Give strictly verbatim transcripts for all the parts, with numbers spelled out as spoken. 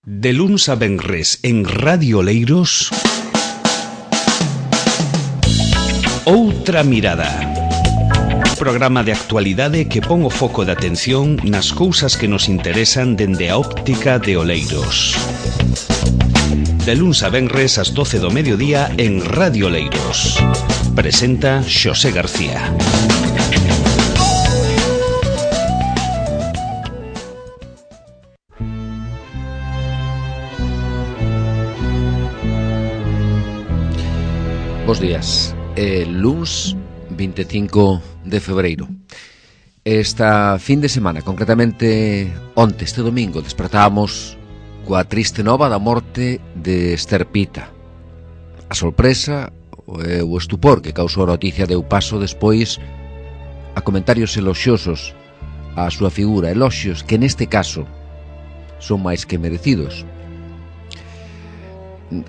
De luns a venres en Radio Oleiros, Outra Mirada. Programa de actualidade que pon o foco de atención nas cousas que nos interesan dende a óptica de Oleiros. De luns a venres ás doce do mediodía en Radio Oleiros. Presenta Xosé García. Bos días, é luns vinte e cinco de febreiro. Esta fin de semana, concretamente onte, este domingo, despertábamos coa triste nova da morte de Ester Pita. A sorpresa e o estupor que causou a noticia deu paso despois a comentarios eloxiosos á súa figura, eloxios que neste caso son máis que merecidos.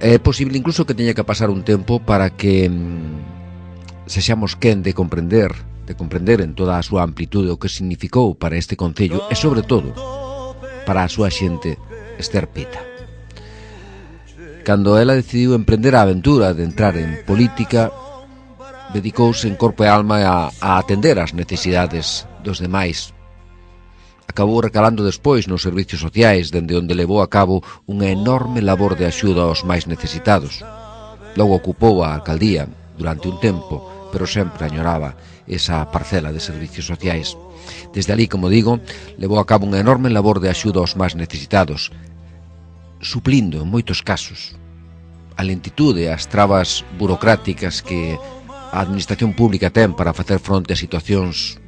É posible incluso que teña que pasar un tempo para que mm, sexamos quen de comprender de comprender en toda a súa amplitude o que significou para este concello e sobre todo para a súa xente Ester Pita. Cando ela decidiu emprender a aventura de entrar en política, dedicouse en corpo e alma a, a atender as necesidades dos demais. Acabou recalando despois nos servicios sociais, dende onde levou a cabo unha enorme labor de axuda aos máis necesitados. Logo ocupou a alcaldía durante un tempo, pero sempre añoraba esa parcela de servicios sociais. Desde ali, como digo, levou a cabo unha enorme labor de axuda aos máis necesitados, suplindo, en moitos casos, a lentitude e as trabas burocráticas que a administración pública ten para facer fronte a situacións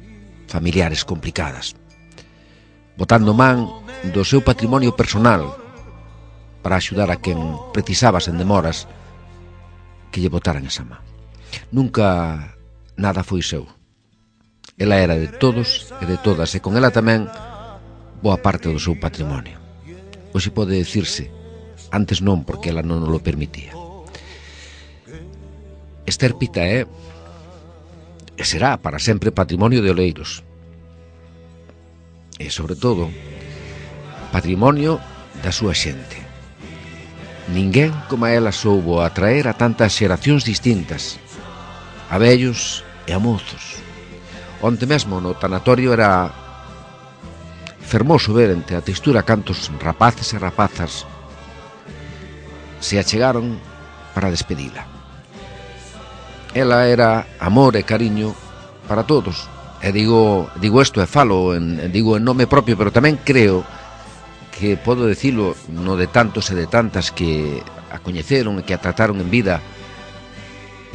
familiares complicadas, botando man do seu patrimonio personal para axudar a quen precisaba sen demoras que lle botaran esa man. Nunca nada foi seu. Ela era de todos e de todas, e con ela tamén boa parte do seu patrimonio. Hoxe pode dicirse, antes non, porque ela non nos lo permitía. Ester Pita é e será para sempre patrimonio de Oleiros. E, sobre todo, patrimonio da súa xente. Ninguén como a ela soubo atraer a tantas xeracións distintas, a vellos e a mozos. Onte mesmo no tanatorio era fermoso ver entre a textura cantos rapaces e rapazas se achegaron para despedila. Ela era amor e cariño para todos. E digo, digo isto e falo, en, digo en nome propio, pero tamén creo que podo dicilo no de tantos e de tantas que a coñeceron e que a trataron en vida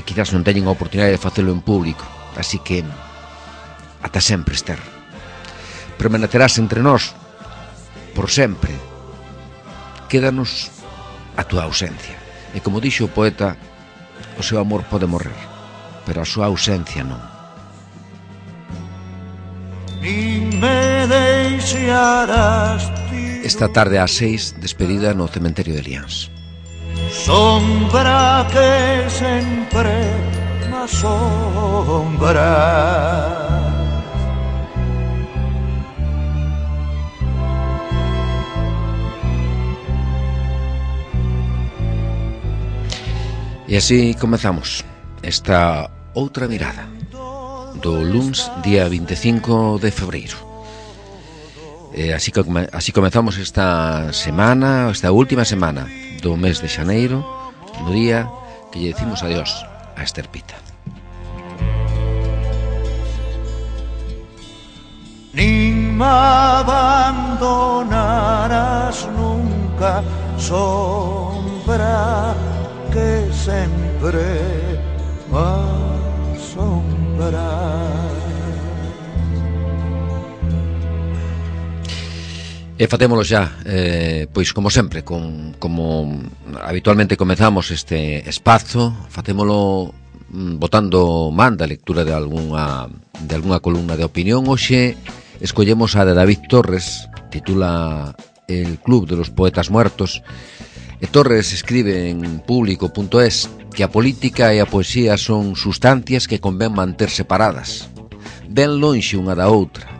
e quizás non teñen a oportunidade de facelo en público. Así que, ata sempre, Ester. Permanecerás entre nós por sempre. Quédanos a túa ausencia. E como dixo o poeta, o seu amor pode morrer, pero a súa ausencia non. Esta tarde ás seis, despedida no cementerio de Liáns. Sombra que sempre me asombra, e así comezamos esta outra mirada do luns, día vinte e cinco de febreiro. E así, así comezamos esta semana, esta última semana do mes de xaneiro, no día que lle decimos adiós a Ester Pita. Nin me abandonarás nunca, sombra que sempre me asombra. E fatémolo xa, eh, pois como sempre, con, como habitualmente comezamos este espazo, fatémolo mm, botando man da lectura de algunha, de algunha columna de opinión. Hoxe escollemos a de David Torres, titula El Club de los Poetas Muertos, e Torres escribe en público punto es que a política e a poesía son sustancias que convén manter separadas, ben lonxe unha da outra,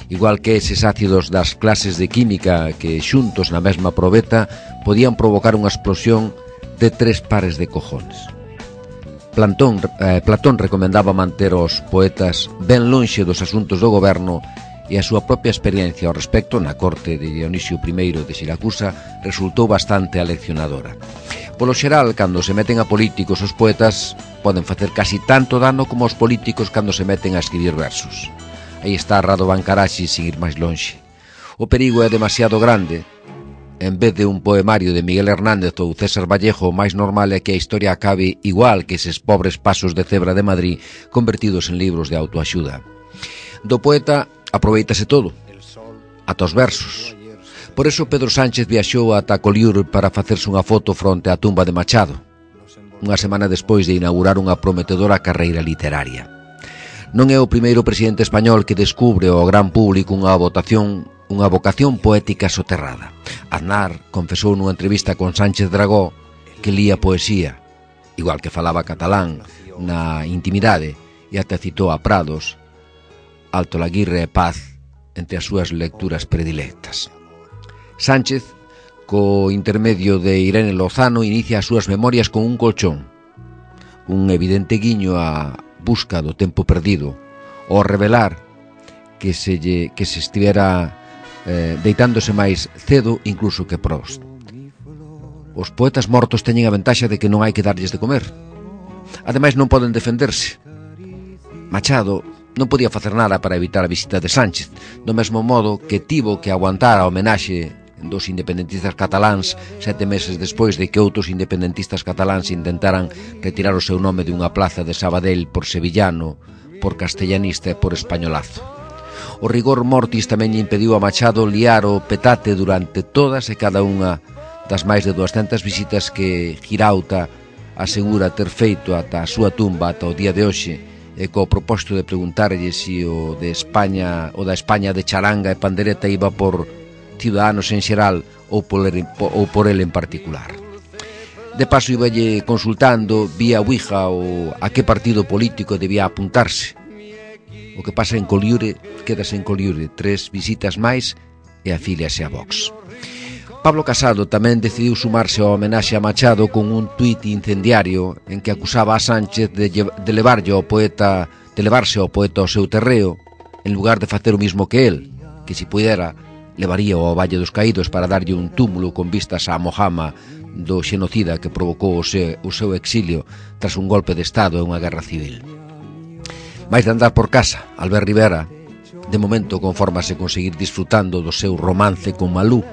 igual que eses ácidos das clases de química que xuntos na mesma probeta podían provocar unha explosión de tres pares de cojones. Platón, eh, Platón recomendaba manter os poetas ben lonxe dos asuntos do goberno e a súa propia experiencia ao respecto na corte de Dionisio primeiro de Siracusa resultou bastante aleccionadora. Polo xeral, cando se meten a políticos, os poetas poden facer casi tanto dano como os políticos cando se meten a escribir versos. Aí está Radovan Karachi sin ir máis lonxe. O perigo é demasiado grande. En vez de un poemario de Miguel Hernández ou César Vallejo, o máis normal é que a historia acabe igual que eses pobres pasos de cebra de Madrid convertidos en libros de autoaxuda. Do poeta aproveitase todo, ata os versos. Por eso Pedro Sánchez viaxou ata Colliure para facerse unha foto fronte á tumba de Machado, unha semana despois de inaugurar unha prometedora carreira literaria. Non é o primeiro presidente español que descubre ao gran público unha votación, unha vocación poética soterrada. Aznar confesou nunha entrevista con Sánchez Dragó que lía poesía, igual que falaba catalán na intimidade, e até citou a Prados, Alto Laguirre e Paz entre as súas lecturas predilectas. Sánchez, co intermedio de Irene Lozano, inicia as súas memorias con un colchón, un evidente guiño á busca do tempo perdido, ao revelar que se, lle, que se estivera eh, deitándose máis cedo incluso que Proust. Os poetas mortos teñen a ventaxa de que non hai que darlles de comer. Ademais non poden defenderse. Machado non podía facer nada para evitar a visita de Sánchez, do mesmo modo que tivo que aguantar a homenaxe dos independentistas cataláns sete meses despois de que outros independentistas cataláns intentaran retirar o seu nome dunha plaza de Sabadell por sevillano, por castellanista e por españolazo. O rigor mortis tamén lle impediu a Machado liar o petate durante todas e cada unha das máis de duascentas visitas que Girauta asegura ter feito ata a súa tumba ata o día de hoxe, e co propósito de preguntarlle se o de España, o da España de charanga e pandereta iba por Ciudadanos en xeral ou por, ou por ele en particular. De paso iballe consultando vía Ouija o a que partido político debía apuntarse. O que pasa en Colliure quedase en Colliure, tres visitas máis e afíliase a Vox. Pablo Casado tamén decidiu sumarse ao homenaxe a Machado con un tuit incendiario en que acusaba a Sánchez de, de levarlle ao poeta, de levarse ao poeta ao seu terreo en lugar de facer o mismo que el, que si pudera levaría ao Valle dos Caídos para darlle un túmulo con vistas á Mojama do xenocida que provocou o seu, o seu exilio tras un golpe de Estado e unha guerra civil. Mais de andar por casa, Albert Rivera, de momento confórmase conseguir disfrutando do seu romance con Malú,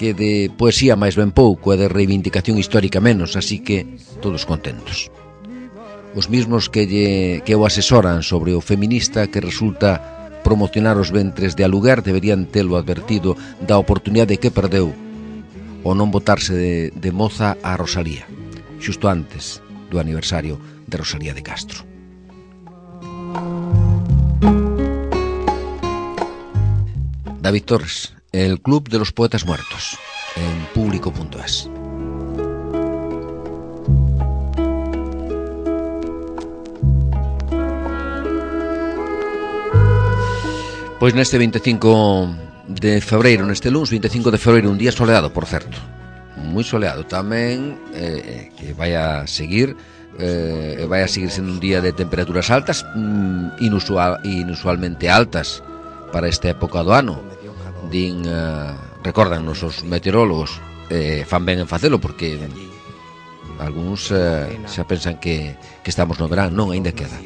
que de poesía máis ben pouco e de reivindicación histórica menos, así que todos contentos. Os mismos que, lle, que o asesoran sobre o feminista que resulta promocionar os ventres de aluguer deberían telo advertido da oportunidade que perdeu o non botarse de, de moza a Rosalía, xusto antes do aniversario de Rosalía de Castro. David Torres, el Club de los Poetas Muertos, en público punto es. Pois neste veinticinco de febreiro, neste luns veinticinco de febreiro, un día soleado, por certo, moi soleado tamén, eh, que vai a seguir eh, vai a seguir sendo un día de temperaturas altas, mm, inusual, inusualmente altas para esta época do ano. Din, eh, recordannos os meteorólogos, eh, fan ben en facelo porque algúns eh, xa pensan que, que estamos no verán, non, aínda queda.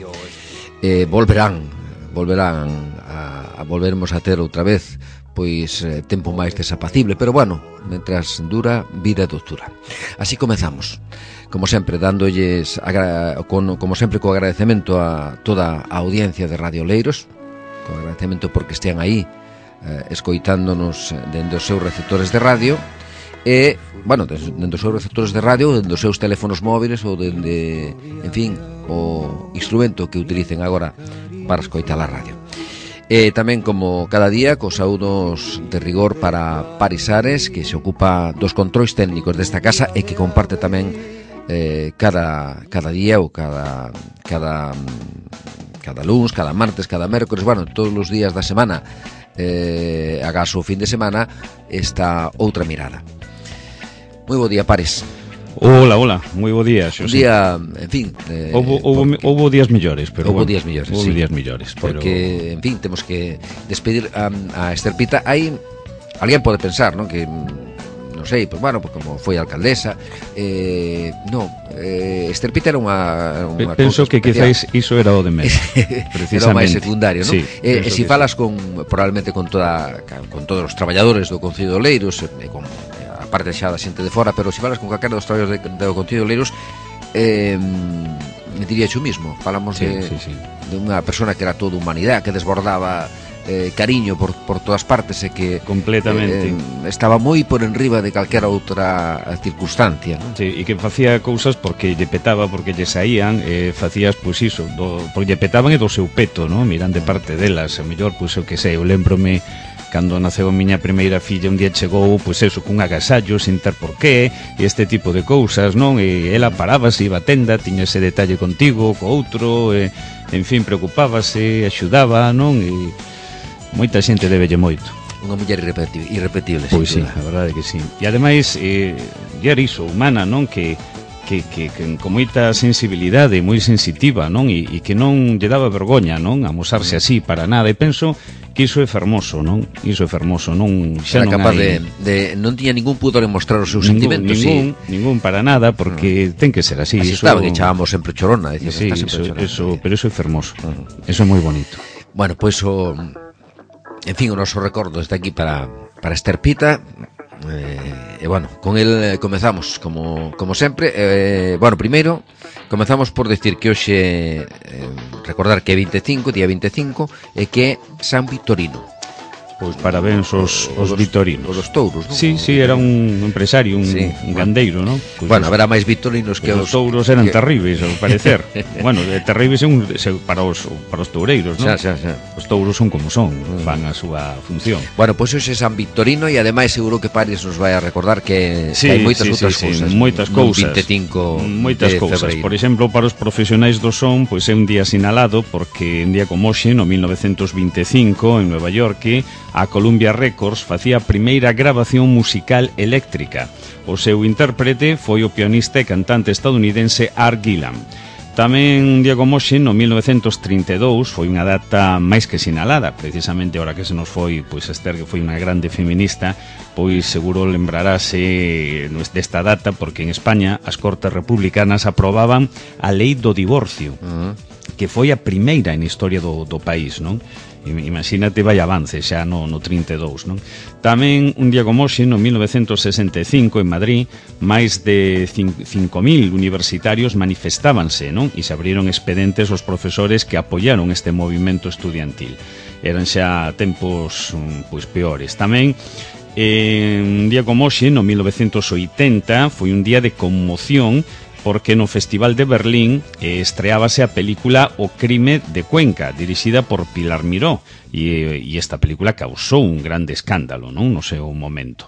Eh, volverán, volverán a, a volvermos a ter outra vez pois eh, tempo máis desapacible, pero bueno, mentras dura, vida e doçura. Así comezamos, como sempre, dándolles agra- con, como sempre co agradecemento a toda a audiencia de Radio Oleiros, co agradecemento porque estean aí eh, escoitándonos dende os seus receptores de radio e, bueno, dende os seus receptores de radio, dende os seus teléfonos móviles ou dende, en fin, o instrumento que utilicen agora para escoitar a radio. E tamén, como cada día, cos saúdos de rigor para Paris Ares, que se ocupa dos controis técnicos desta casa e que comparte tamén eh, cada, cada día ou cada, cada cada luns, cada martes, cada mércores, bueno, todos os días da semana, eh, agás o fin de semana, esta outra mirada. Moi bo día, Pares. Hola, hola, moi bo día, Xosé. Un día, en fin, eh, houbo, houbo, porque, houbo días millores, pero houbo bueno, días millores, houbo sí. días millores, porque, pero... en fin, temos que despedir a, a Ester Pita. Hai, alguén pode pensar, non, que non sei, pues bueno, pues como foi alcaldesa, eh, non, eh, Ester Pita era unha, unha penso que quizáis iso era o de menos, precisamente. Era o máis secundario, non? Sí, eh, e se si falas sí. con, probablemente con toda con todos os traballadores do Concello de Oleiros, e con a parte xa da xente de fora, pero se si falas con calquera dos traballadores de, do Concello de Oleiros, eh, diría xo mismo, falamos sí, de, sí, sí. de unha persona que era toda humanidade, que desbordaba Eh, cariño por, por todas partes e que completamente eh, estaba moi por enriba de calquera outra circunstancia, non? Sí, e que facía cousas porque lle petaba, porque lle saían, e facías, pois iso, do, porque lle petaban e do seu peto, non? Miran de parte delas, a mellor, pois o que sei, eu lembrome cando naceu a miña primeira filla, un día chegou, pois eso, cun agasallo, sin ter por qué, e este tipo de cousas, non? E ela parábase, iba a tenda, tiña ese detalle contigo, co outro, e, en fin, preocupábase, axudaba, non? E moita xente debelle moito. Unha muller irrepetible, irrepetible. Pois sí, a verdade que sí. E ademais, eh, era iso, humana, non? Que, que, que, que con moita sensibilidade, moi sensitiva, non? E, e que non lle daba vergoña, non? Amosarse así para nada. E penso que iso é fermoso, non? Iso é fermoso, non? Xa era non capaz hai... de, de... Non tiña ningún pudor en mostrar os seus ningún, sentimentos. Ningún, sí. ningún para nada, porque uh-huh. ten que ser así. Así iso... estaba, que echábamos sempre chorona. Decía, sí, que está iso, chorona. Eso, pero iso é fermoso. Uh-huh. Eso é moi bonito. Bueno, pois pues, o... En fin, o noso recordo está aquí para, para Ester Pita. E, eh, bueno, con el eh, comezamos como, como sempre. eh, Bueno, primeiro comezamos por decir que hoxe eh, recordar que é vinte e cinco, día vinte e cinco, e que é San Victorino. Pois parabéns os, os, os vitorinos. Os dos touros, non? Sí, sí, era un empresario, un, sí, un gandeiro, non? Pues bueno, haberá máis vitorinos que os... Os touros eran que... terribles, ao parecer. Bueno, terribles un, para, os, para os toureiros, non? Xa, xa, xa. Os touros son como son, mm. fan a súa función. Bueno, pois pues hoxe é San Victorino e ademais seguro que Paris nos vai a recordar que, sí, que hai moitas sí, outras sí, cousas. Sí, moitas cousas. vinte e cinco moitas de cousas. febreiro. Por exemplo, para os profesionais do son, pois é un día sinalado porque un día como hoxe, no mil novecentos vinte e cinco, en Nueva York, a Columbia Records facía a primeira grabación musical eléctrica. O seu intérprete foi o pianista e cantante estadounidense Art Gillan. Tamén un día como hoxe, no mil novecentos trinta e dous, foi unha data máis que sinalada, precisamente ahora que se nos foi, pois Esther, que foi unha grande feminista, pois seguro lembrarase desta data, porque en España as Cortes Republicanas aprobaban a lei do divorcio, uh-huh. que foi a primeira en historia do, do país, non? Imagínate, vai avance xa no, no trinta e dous, non? Tamén un día como hoxe, no mil novecentos sesenta e cinco, en Madrid, máis de cinco mil universitarios manifestábanse, non? E se abriron expedientes aos profesores que apoiaron este movimento estudiantil. Eran xa tempos pois peores. Tamén eh, un día como hoxe, no mil novecentos oitenta, foi un día de conmoción porque no Festival de Berlín eh, estreábase a película O crime de Cuenca, dirixida por Pilar Miró, e, e esta película causou un grande escándalo, non? No seu momento.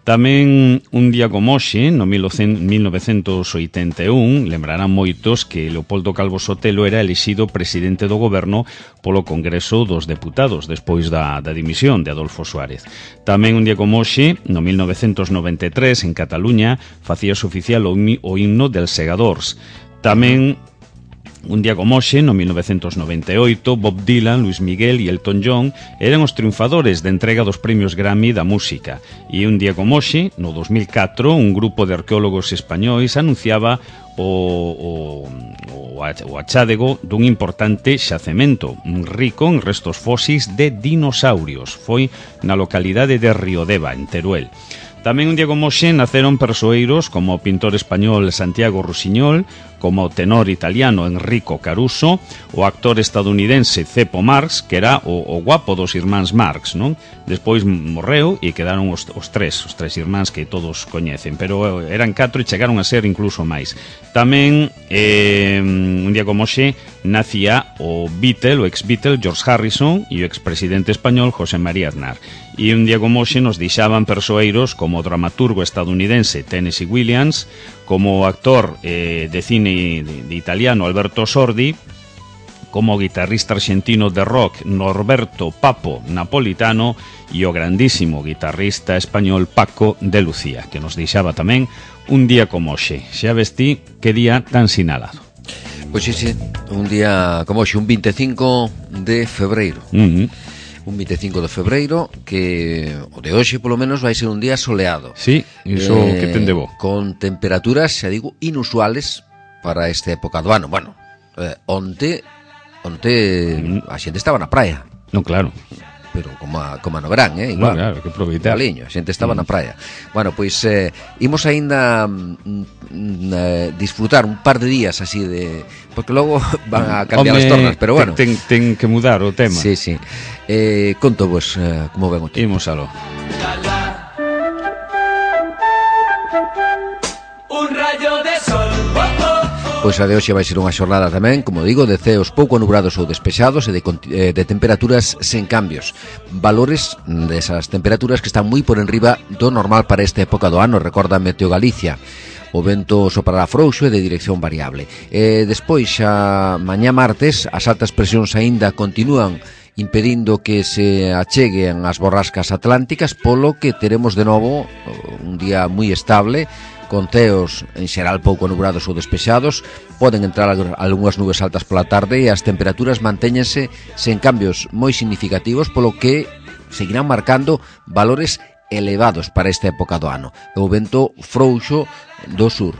Tamén un día como hoxe, no mil novecentos oitenta e un, lembrarán moitos que Leopoldo Calvo Sotelo era elixido presidente do goberno polo Congreso dos Deputados, despois da, da dimisión de Adolfo Suárez. Tamén un día como hoxe, no mil novecentos noventa e tres, en Cataluña, facíase oficial o, o himno dels Segadors. Tamén un día como hoxe, no mil novecentos noventa e oito, Bob Dylan, Luis Miguel e Elton John eran os triunfadores de entrega dos premios Grammy da música. E un día como hoxe, no dos mil catro, un grupo de arqueólogos españois anunciaba o, o, o achádego dun importante xacemento rico en restos fósis de dinosaurios. Foi na localidade de Riodeva, en Teruel. Tamén un día como hoxe naceron persoeiros como o pintor español Santiago Rusiñol, como o tenor italiano Enrico Caruso, o actor estadounidense Cepo Marx, que era o, o guapo dos irmáns Marx, non? Despois morreu e quedaron os, os tres, os tres irmáns que todos coñecen, pero eran catro e chegaron a ser incluso máis. Tamén, eh, un día como hoxe, nacía o Beatle, o ex-Beatle George Harrison e o expresidente español José María Aznar. E un día como hoxe nos deixaban persoeiros como o dramaturgo estadounidense Tennessee Williams, como o actor eh, de cine de, de italiano Alberto Sordi, como o guitarrista argentino de rock Norberto Papo Napolitano e o grandísimo guitarrista español Paco de Lucía, que nos deixaba tamén un día como hoxe. Xa vestí que día tan sinalado. Pois sí, sí, un día como hoxe, un veinticinco de febreiro. Uh-huh. Un veinticinco de febreiro, que o de hoxe polo menos vai ser un día soleado. Sí, iso eh, que ten de bo. Con temperaturas, xa digo, inusuales para esta época do ano. Bueno, eh, onte, onte mm. a xente estaba na praia. Non, claro. Pero como a, como a no verán, eh? Igual. No, claro, que aproveitar. Galiño, a xente estaba mm. na praia. Bueno, pois eh, imos aínda mm, eh, disfrutar un par de días así de... Porque logo van a cambiar Home, as tornas, pero bueno. Ten, ten que mudar o tema. Sí, sí. Eh, conto vos eh, como ven o tema. Imos aló. Un rayo de sol. Oh, oh. Pois a de hoxe vai ser unha xornada tamén, como digo, de ceos pouco nubrados ou despexados e de, de temperaturas sen cambios. Valores desas temperaturas que están moi por enriba do normal para esta época do ano, recorda Meteo Galicia. O vento soprará frouxo e de dirección variable. E despois, xa mañá martes, as altas presións aínda continúan impedindo que se acheguen as borrascas atlánticas, polo que teremos de novo un día moi estable, con ceos en xeral pouco nubrados ou despexados. Poden entrar algunhas nubes altas pola tarde e as temperaturas mantéñense sen cambios moi significativos, polo que seguirán marcando valores elevados para esta época do ano. O vento frouxo do sur.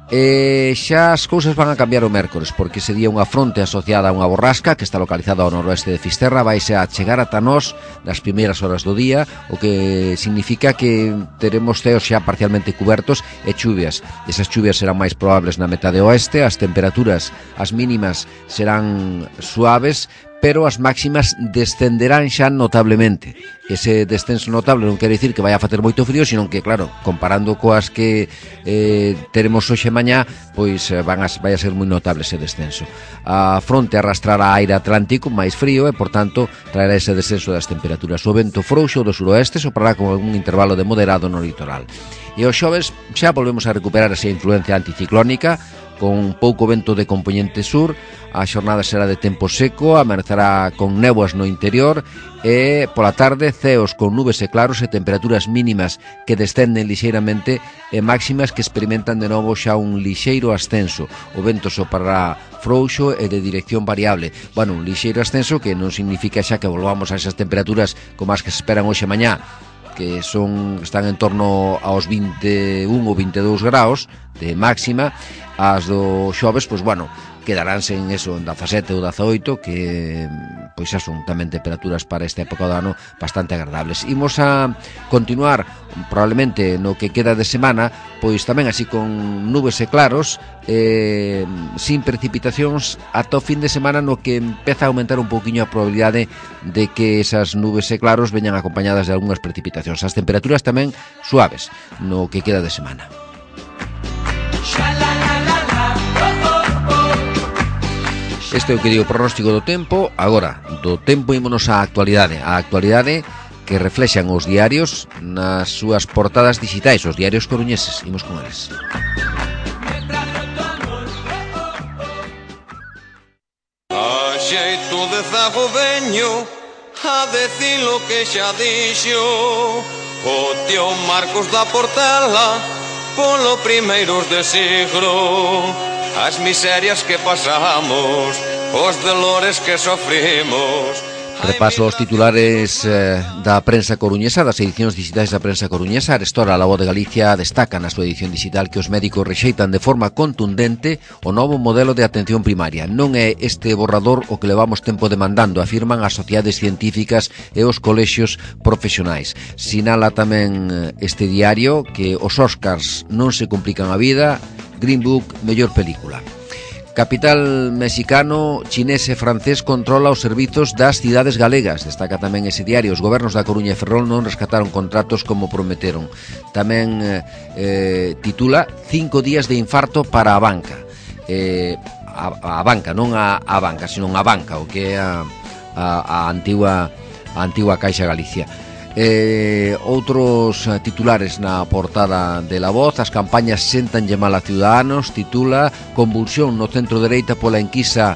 E xa as cousas van a cambiar o mércores, porque ese día unha fronte asociada a unha borrasca que está localizada ao noroeste de Fisterra vaise a chegar ata nós nas primeiras horas do día, o que significa que teremos ceos xa parcialmente cubertos e chuvias. Esas chuvias serán máis probables na metade oeste, as temperaturas, as mínimas serán suaves, pero as máximas descenderán xa notablemente. Ese descenso notable non quere dicir que vai a facer moito frío, sino que, claro, comparando coas que eh, teremos hoxe mañá, pois van a, vai a ser moi notable ese descenso. A fronte arrastrará aire atlántico máis frío e, por tanto, traerá ese descenso das temperaturas. O vento frouxo do suroeste soprará con algún intervalo de moderado no litoral. E os xoves xa volvemos a recuperar esa influencia anticiclónica, con pouco vento de compoñente sur. A xornada será de tempo seco, amanecerá con néboas no interior e pola tarde ceos con nubes e claros e temperaturas mínimas que descenden lixeiramente e máximas que experimentan de novo xa un lixeiro ascenso. O vento soprará frouxo e de dirección variable. Bueno, un lixeiro ascenso que non significa xa que volvamos a esas temperaturas como as que se esperan hoxe mañá, que son están en torno aos vinte e un ou vinte e dous graus de máxima. As do xoves, pois bueno, quedaránse en eso, en dezasete ou dezaoito, que pois xa son tamén temperaturas para esta época do ano bastante agradables. Imos a continuar probablemente no que queda de semana, pois tamén así con nubes e claros, eh, sin precipitacións ata o fin de semana, no que empeza a aumentar un pouquiño a probabilidade de que esas nubes e claros veñan acompañadas de algunhas precipitacións. As temperaturas tamén suaves no que queda de semana. Este é o que digo pronóstico do tempo. Agora, do tempo ímonos á actualidade. A actualidade que reflexan os diarios nas súas portadas digitais, os diarios coruñeses. Imos con eles. A xeito de zago veño a decir lo que xa dixo o tío Marcos da Portela polo primeiros de siglo. As miserias que pasamos, os dolores que sofrimos. Repaso os titulares eh, da prensa coruñesa, das edicións digitais da prensa coruñesa. Arestora, a La Voz de Galicia destaca na súa edición digital que os médicos rexeitan de forma contundente o novo modelo de atención primaria. Non é este borrador o que levamos tempo demandando, afirman as sociedades científicas e os colexios profesionais. Sinala tamén este diario que os Óscars non se complican a vida. Green Book, mellor película. Capital mexicano, chinés e francés controla os servizos das cidades galegas. Destaca tamén ese diario. Os gobernos da Coruña e Ferrol non rescataron contratos como prometeron. Tamén eh, titula Cinco días de infarto para a banca. Eh, a, a banca, non a, a banca, sino a banca, o que é a, a, a antigua a antigua Caixa Galicia. Eh, outros titulares na portada de La Voz. As campañas sentanlle mal a Ciudadanos, titula Convulsión no centro dereita pola enquisa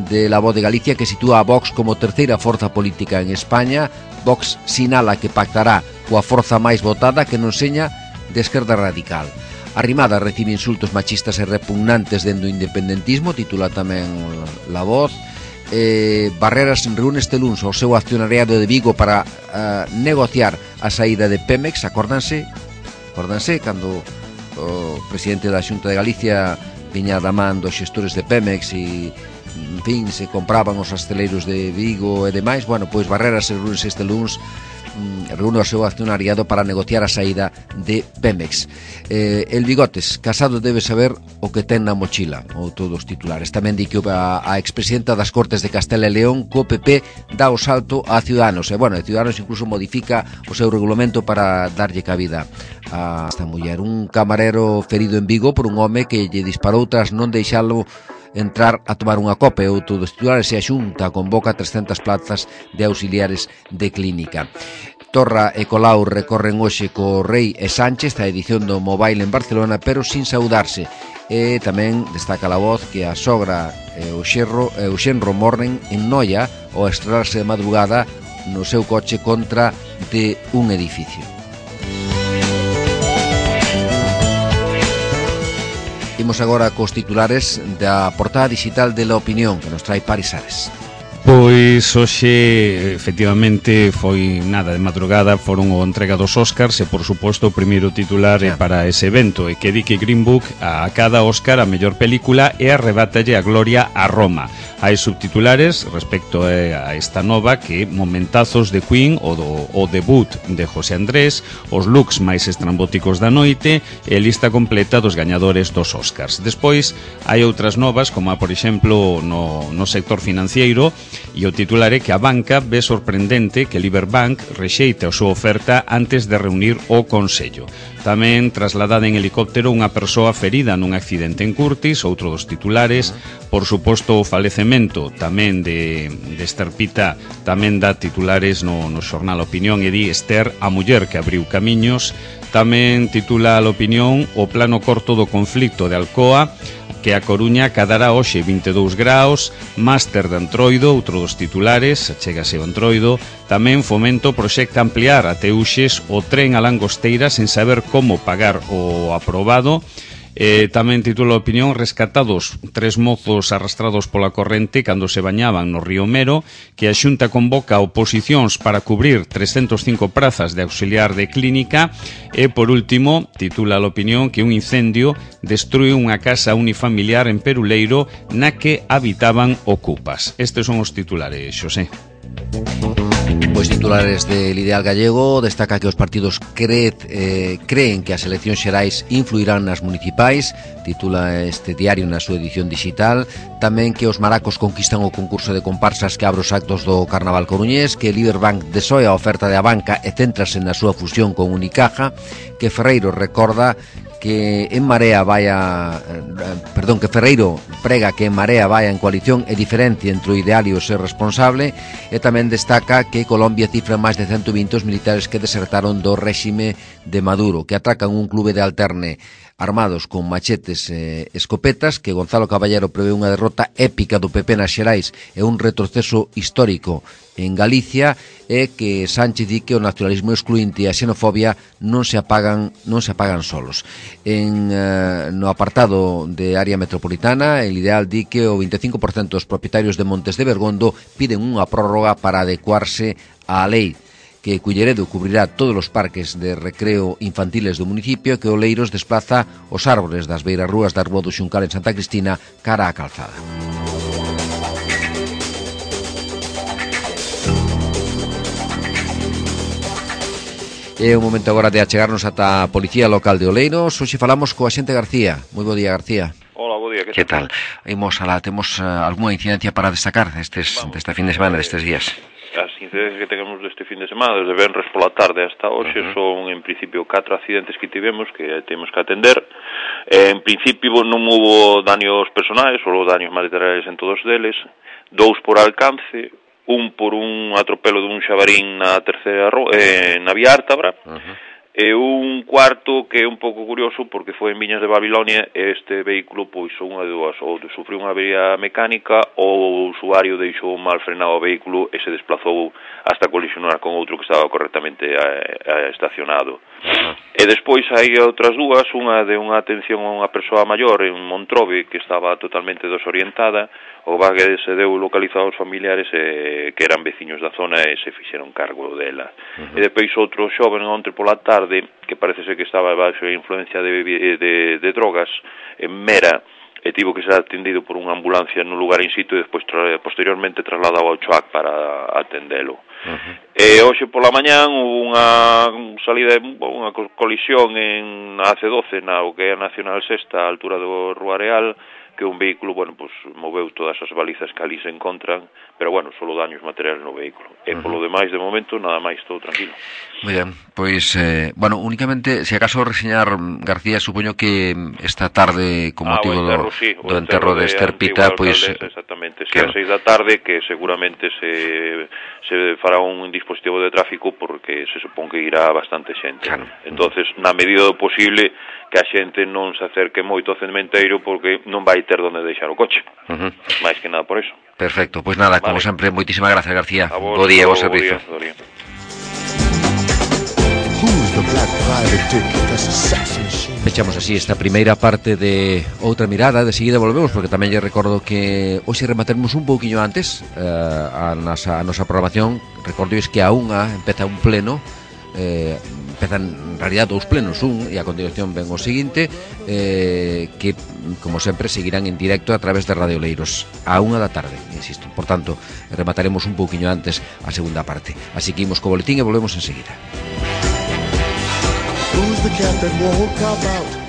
de La Voz de Galicia, que sitúa a Vox como terceira forza política en España. Vox sinala que pactará coa forza máis votada, que non seña de esquerda radical. Arrimada recibe insultos machistas e repugnantes dentro do independentismo, titula tamén La Voz. Eh, Barreras reúne este luns o seu accionariado de Vigo para uh, negociar a saída de Pemex. Acórdanse, acórdanse cando o presidente da Xunta de Galicia viña da man dos xestores de Pemex e, en fin, se compraban os asteleiros de Vigo e demais. Bueno, pois Barreras reúne este luns reúne o seu accionariado para negociar a saída de Pemex. eh, El Bigotes, Casado debe saber o que ten na mochila, ou todos os titulares. Tamén di que a, a expresidenta das Cortes de Castela e León co P P dá o salto a Ciudadanos, e bueno, Ciudadanos incluso modifica o seu regulamento para darlle cabida a esta muller. Un camarero ferido en Vigo por un home que lle disparou tras non deixalo entrar a tomar unha copa. E outro dos titulares, e a Xunta convoca trescentas plazas de auxiliares de clínica. Torra e Colau recorren hoxe co Rei e Sánchez a edición do Mobile en Barcelona, pero sin saudarse. E tamén destaca La Voz que a sogra e o xerro e o xenro morren en Noia ao estrellarse de madrugada no seu coche contra de un edificio. Imos agora cos titulares da portada digital de La Opinión, que nos trae Paris Ares. Pois hoxe, efectivamente, foi nada de madrugada, foron o entrega dos Óscars e, por suposto, o primeiro titular é para ese evento, e que di que Green Book a cada Óscar a mellor película e arrebátalle a gloria a Roma. Hai subtitulares respecto a esta nova que momentazos de Queen, o, do, o debut de José Andrés, os looks máis estrambóticos da noite e lista completa dos gañadores dos Óscars. Despois, hai outras novas, como a, por exemplo, no, no sector financiero, e o titular é que a banca ve sorprendente que Liberbank rexeita a súa oferta antes de reunir o Consello. Tamén trasladada en helicóptero unha persoa ferida nun accidente en Curtis, outro dos titulares. Por suposto, o falecemento tamén de, de Esther Pita tamén dá titulares no, no xornal Opinión, e di Esther, a muller que abriu camiños. Tamén titula a Opinión o plano corto do conflicto de Alcoa, que a Coruña cadará hoxe vinte e dous graus, máster de Antroido, outro dos titulares, chégase o Antroido. Tamén Fomento proxecta ampliar a Teuxes o tren a Langosteira sen saber como pagar o aprobado. Eh, tamén titula a Opinión, rescatados tres mozos arrastrados pola corrente cando se bañaban no río Mero, que a Xunta convoca oposicións para cubrir trescentas e cinco prazas de auxiliar de clínica. E, por último, titula a Opinión que un incendio destrue unha casa unifamiliar en Peruleiro na que habitaban ocupas. Estes son os titulares, Xosé. Pois titulares del Ideal Gallego destaca que os partidos cre, eh, creen que as eleccións xerais influirán nas municipais, titula este diario na súa edición digital. Tamén que os maracos conquistan o concurso de comparsas que abre os actos do Carnaval coruñés, que Liberbank desoe a oferta de a banca e céntrase na súa fusión con Unicaja, que Ferreiro recorda que en Marea vaya, perdón, que Ferreiro prega que en Marea vaya en coalición e diferencia entre o ideal e o ser responsable. E tamén destaca que Colombia cifra máis de ciento vinte os militares que desertaron do réxime de Maduro, que atracan un clube de alterne armados con machetes e escopetas, que Gonzalo Caballero prevé unha derrota épica do P P nas Xerais e un retroceso histórico en Galicia, e que Sánchez di que o nacionalismo excluinte e a xenofobia non se apagan non se apagan solos. En uh, no apartado de área metropolitana, el Ideal di que o vinte e cinco por cento dos propietarios de Montes de Bergondo piden unha prórroga para adecuarse á lei, que Culleredo cubrirá todos os parques de recreo infantiles do municipio, que Oleiros desplaza os árboles das beirarrúas da Rúa do Xuncal en Santa Cristina cara á calzada. É o momento agora de achegarnos ata a Policía Local de Oleiros. Hoxe falamos co axente García. Moi bo día, García. Hola, bo día. Que tal? Imos alá, temos uh, algunha incidencia para destacar destes, desta fin de semana, destes días? As incidencias que temos deste fin de semana, desde venres pola tarde hasta hoxe, uh-huh. son en principio catro accidentes que tivemos que temos que atender. Eh, en principio non hubo daños personais, só daños materiais en todos deles, dous por alcance, un por un atropelo dun xabarín na terceira ro- eh, na vía Ártabra, uh-huh. E un cuarto que é un pouco curioso porque foi en Viñas de Babilonia e este vehículo pois unha de dúas, ou sufriu unha avería mecánica ou o usuario deixou mal frenado o vehículo e se desplazou hasta colisionar con outro que estaba correctamente eh, estacionado. E despois hai outras dúas, unha de unha atención a unha persoa maior en Montrove que estaba totalmente desorientada, o vague se deu localizado aos familiares eh, que eran veciños da zona e se fixeron cargo dela. Uh-huh. E depois outro xoven ontre pola tarde que parece ser que estaba baixo a influencia de, de, de drogas en Mera e tivo que ser atendido por unha ambulancia no lugar in situ e despois tra posteriormente trasladado ao Choac para atendelo. Uh-huh. E hoxe pola mañán hubo unha salida, unha colisión en A C doce na o que é a Nacional Sexta a altura do Rua Real, que un vehículo, bueno, pues moveu todas as balizas que ali se encontran, pero bueno, solo daños materiales no vehículo. E uh-huh. polo demais, de momento, nada máis, todo tranquilo. Moi ben, pois, eh, bueno, únicamente, se acaso reseñar, García, supoño que esta tarde, con ah, motivo enterro, do, sí, do enterro de, de Ester Pita, pois... Exactamente, si claro. A seis da tarde, que seguramente se, se fará un dispositivo de tráfico porque se supón que irá bastante xente. Claro. Entonces, na medida do posible, que a xente non se acerque moito ao cementeiro porque non vai ter donde deixar o coche. Uh-huh. Máis que nada por eso. Perfecto, pois nada, vale. Como sempre, moitísimas gracias, García. Vos, bo día, bo servizo. Bo día, bo día. Fechamos así esta primeira parte de Outra Mirada. De seguida volvemos porque tamén lle recordo que hoxe remataremos un pouquiño antes eh, a, nosa, a nosa programación. Recordo que a unha empeza un pleno, eh, empezan en realidad dous plenos, un e a continuación ven o seguinte, eh, que como sempre seguirán en directo a través de Radio Oleiros a unha da tarde, insisto. Por tanto, remataremos un pouquiño antes a segunda parte. Así que imos co boletín e volvemos enseguida. Who's the cat that won't cop out?